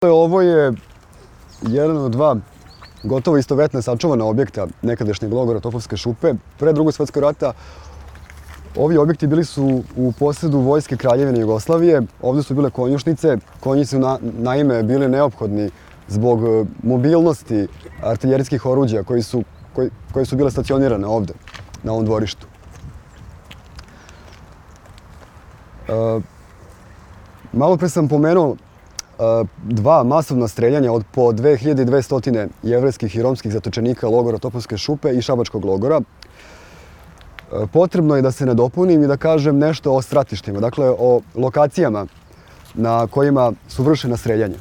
Ovo je jedan od dva gotovo istovetna sačuvana objekta nekadašnjeg logora Topovske šupe. Pre Drugog svjetskog rata ovi objekti bili su u posedu Vojske Kraljevine Jugoslavije. Ovdje su bile konjušnice. Konji su naime bili neophodni zbog mobilnosti artiljerijskih oruđa koji su bile stacionirane ovdje, na ovom dvorištu. Malo pre sam pomenuo dva masovna streljanja od po 2200 jevrejskih i romskih zatočenika logora Topovske šupe i Šabačkog logora. Potrebno je da se nadopunim i da kažem nešto o stratištima, dakle o lokacijama na kojima su vršena streljanja.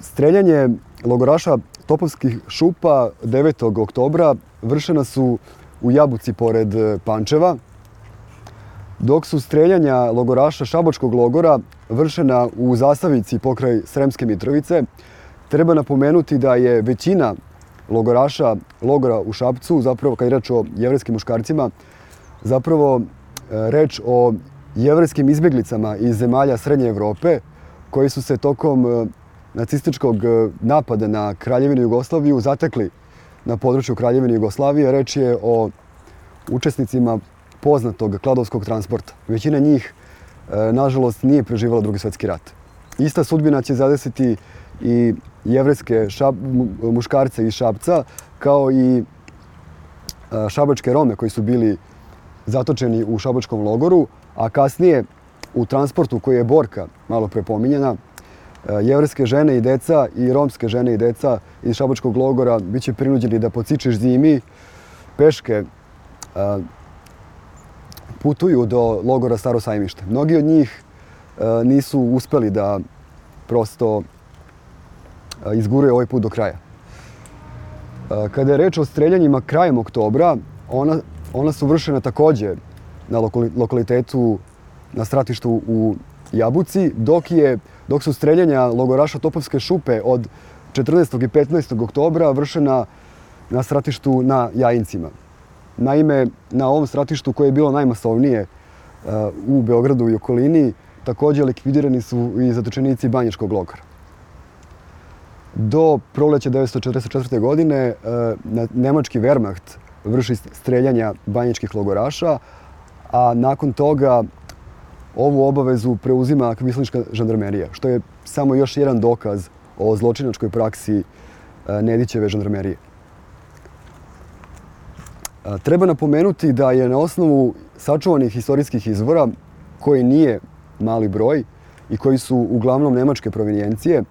Streljanje logoraša Topovskih šupa 9. oktobra vršena su u Jabuci pored Pančeva, dok su streljanja logoraša Šabačkog logora vršena u Zasavici pokraj Sremske Mitrovice. Treba napomenuti da je većina logoraša logora u Šapcu, zapravo kad je reč o jevrejskim muškarcima, zapravo reč o jevrejskim izbjeglicama iz zemalja Srednje Evrope koji su se tokom nacističkog napada na Kraljevinu Jugoslaviju zatekli na području Kraljevine Jugoslavije. Reč je o učesnicima poznatog kladovskog transporta. Većina njih, nažalost, nije preživala Drugi svjetski rat. Ista sudbina će zadesiti i jevrejske muškarce iz Šapca, kao i šabačke Rome koji su bili zatočeni u Šabačkom logoru, a kasnije u transportu koji je Borka malo pre pominjena, jevrejske žene i deca i romske žene i deca iz Šabačkog logora bit će prinuđeni da po cičeš zimi peške putuju do logora Staro Sajmište. Mnogi od njih nisu uspeli da prosto izguraju ovaj put do kraja. Kada je reč o streljanjima krajem oktobra, ona su vršena također na lokalitetu, na stratištu u Jabuci, dok su streljanja logoraša Topovske šupe od 14. i 15. oktobra vršena na stratištu na Jajincima. Naime, na ovom stratištu koje je bilo najmasovnije u Beogradu i okolini, također likvidirani su i zatočenici Banjičkog logora. Do proleća 1944. godine nemački Wehrmacht vrši streljanja banjičkih logoraša, a nakon toga ovu obavezu preuzima kvislinška žandarmerija, što je samo još jedan dokaz o zločinačkoj praksi Nedićeve žandarmerije. Treba napomenuti da je na osnovu sačuvanih istorijskih izvora, koji nije mali broj i koji su uglavnom nemačke provenijencije,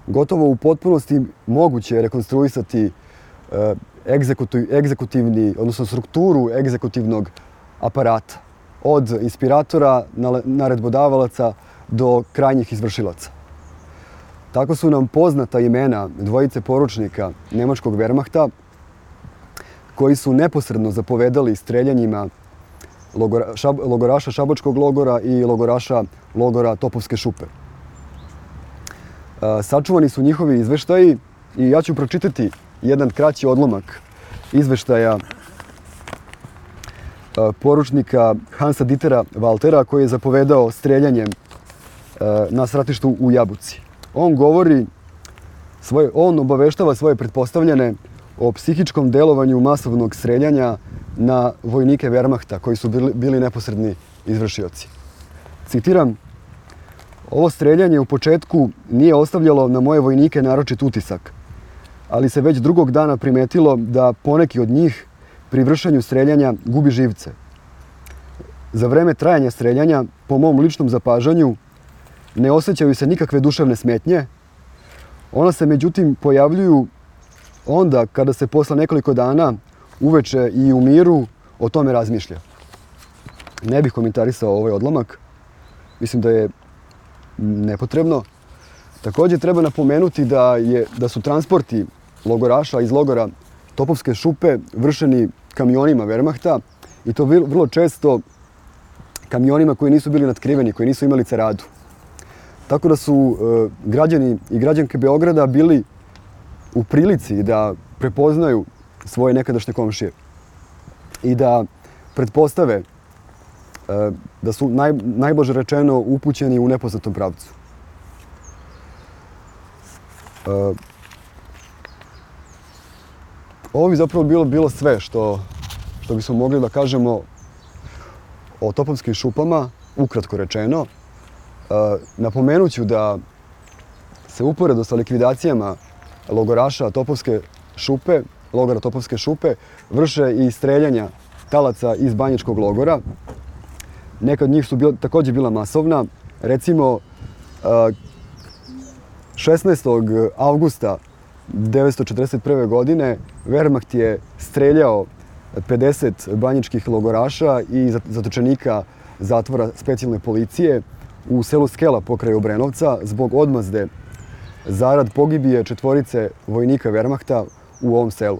gotovo u potpunosti moguće rekonstruisati egzekutivni, odnosno strukturu egzekutivnog aparata, od inspiratora, naredbodavalaca do krajnjih izvršilaca. Tako su nam poznata imena dvojice poručnika nemačkog Wehrmachta, koji su neposredno zapovedali streljanjima logoraša Šabačkog logora i logoraša logora Topovske šupe. Sačuvani su njihovi izveštaji i ja ću pročitati jedan kraći odlomak izveštaja poručnika Hansa Dietera Waltera, koji je zapovedao streljanjem na stratištu u Jabuci. On obaveštava svoje pretpostavljene o psihičkom delovanju masovnog streljanja na vojnike Wehrmachta, koji su bili neposredni izvršioci. Citiram: "Ovo streljanje u početku nije ostavljalo na moje vojnike naročit utisak, ali se već drugog dana primetilo da poneki od njih pri vršenju streljanja gubi živce. Za vreme trajanja streljanja, po mom ličnom zapažanju, ne osjećaju se nikakve duševne smetnje. Ona se međutim pojavljuju onda kada se posle nekoliko dana uveče i u miru o tome razmišlja." Ne bih komentarisao ovaj odlomak, mislim da je nepotrebno. Također treba napomenuti da su transporti logoraša iz logora Topovske šupe vršeni kamionima Wehrmachta, i to vrlo često kamionima koji nisu bili natkriveni, koji nisu imali ceradu. Tako da su građani i građanke Beograda bili u prilici da prepoznaju svoje nekadašnje komšije i da pretpostave da su najblaže rečeno upućeni u nepoznatom pravcu. Ovo bi zapravo bilo sve što bismo mogli da kažemo o Topovskim šupama, ukratko rečeno. Napomenut ću da se uporedo sa likvidacijama logoraša logora Topovske šupe, vrše i streljanja talaca iz Banjičkog logora. Neka od njih su također bila masovna. Recimo, 16. avgusta 1941. godine Wehrmacht je streljao 50 banjičkih logoraša i zatočenika zatvora specijalne policije u selu Skela pokraj Obrenovca zbog odmazde zarad pogibije 4 vojnika Wehrmachta u ovom selu.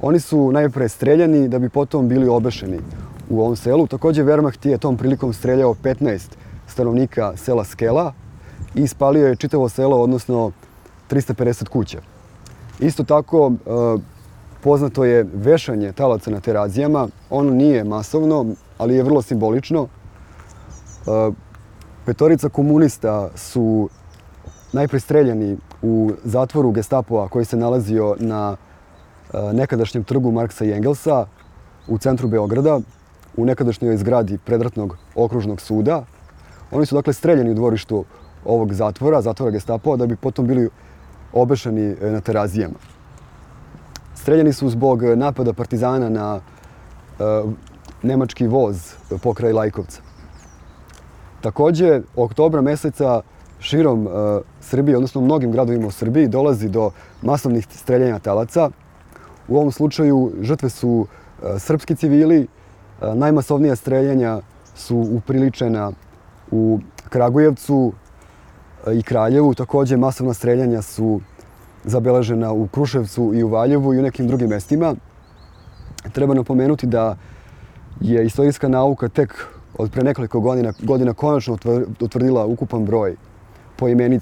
Oni su najpre streljani da bi potom bili obešeni u ovom selu. Također Wehrmacht je tom prilikom streljao 15 stanovnika sela Skela i spalio je čitavo selo, odnosno 350 kuća. Isto tako, poznato je vešanje talaca na Terazijama. Ono nije masovno, ali je vrlo simbolično. 5 komunista su najpre streljani u zatvoru Gestapova koji se nalazio na nekadašnjem trgu Marksa i Engelsa u centru Beograda, u nekadašnjoj zgradi predratnog okružnog suda. Oni su dakle streljani u dvorištu ovog zatvora Gestapova, da bi potom bili obešeni na Terazijama. Streljani su zbog napada partizana na nemački voz pokraj Lajkovca. Također, oktobra meseca širom Srbije, odnosno u mnogim gradovima u Srbiji, dolazi do masovnih streljanja talaca. U ovom slučaju žrtve su srpski civili. Najmasovnija streljanja su upriličena u Kragujevcu i Kraljevu. Također masovna streljanja su zabeležena u Kruševcu i u Valjevu i u nekim drugim mestima. Treba napomenuti da je istorijska nauka tek od pre nekoliko godina konačno utvrdila ukupan broj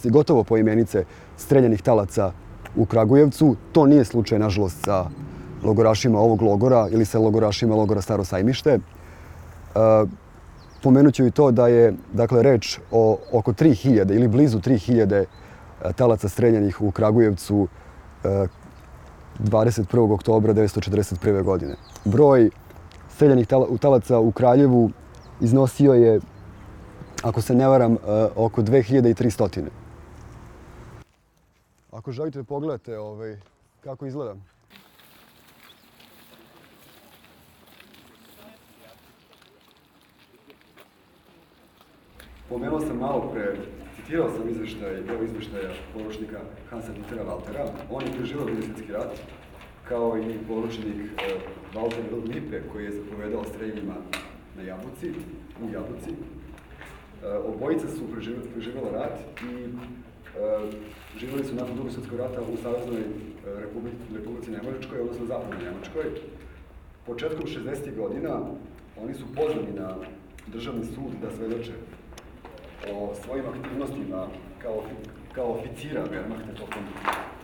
gotovo poimenice streljanih talaca u Kragujevcu. To nije slučaj, nažalost, sa logorašima ovog logora ili sa logorašima logora Staro Sajmište. Pomenut ću i to da je reč o oko 3000 ili blizu 3000 talaca streljanih u Kragujevcu 21. oktobra 1941. godine. Broj streljanih talaca u Kraljevu iznosio je, ako se ne varam, oko 2300. Ako želite da pogledate kako izgleda. Pomenuo sam malo pre, citirao sam izveštaja poručnika Hansa Dietera Waltera. On je preživio Drugi svjetski rat, kao i poručnik Walter Lippe, koji je zapovedao streljanjima u Jabuci. Obojica su preživjela rat i živjeli su nakon Drugog svjetskog rata u Saveznoj Republici Nemačkoj, odnosno Zapadnoj Nemačkoj. Početkom 60. godina oni su pozvani na državni sud da svedoče o svojim aktivnostima kao oficira Wehrmachta tokom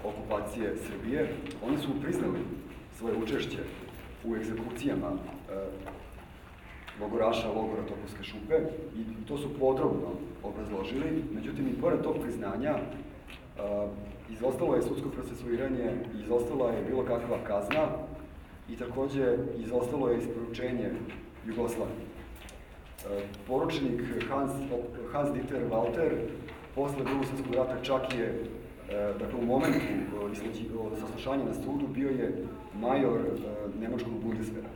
okupacije Srbije. Oni su priznali svoje učešće u egzekucijama logoraša logora Topovske šupe i to su podrobno obrazložili. Međutim, i pored tog priznanja izostalo je sudsko procesuiranje, izostala je bilo kakva kazna i također izostalo je isporučenje Jugoslavije. Poručnik Hans Dieter Walter posle Drugog svjetskog rata čak je, u momentu saslušanja na sudu bio je major nemačkog Bundeswehra.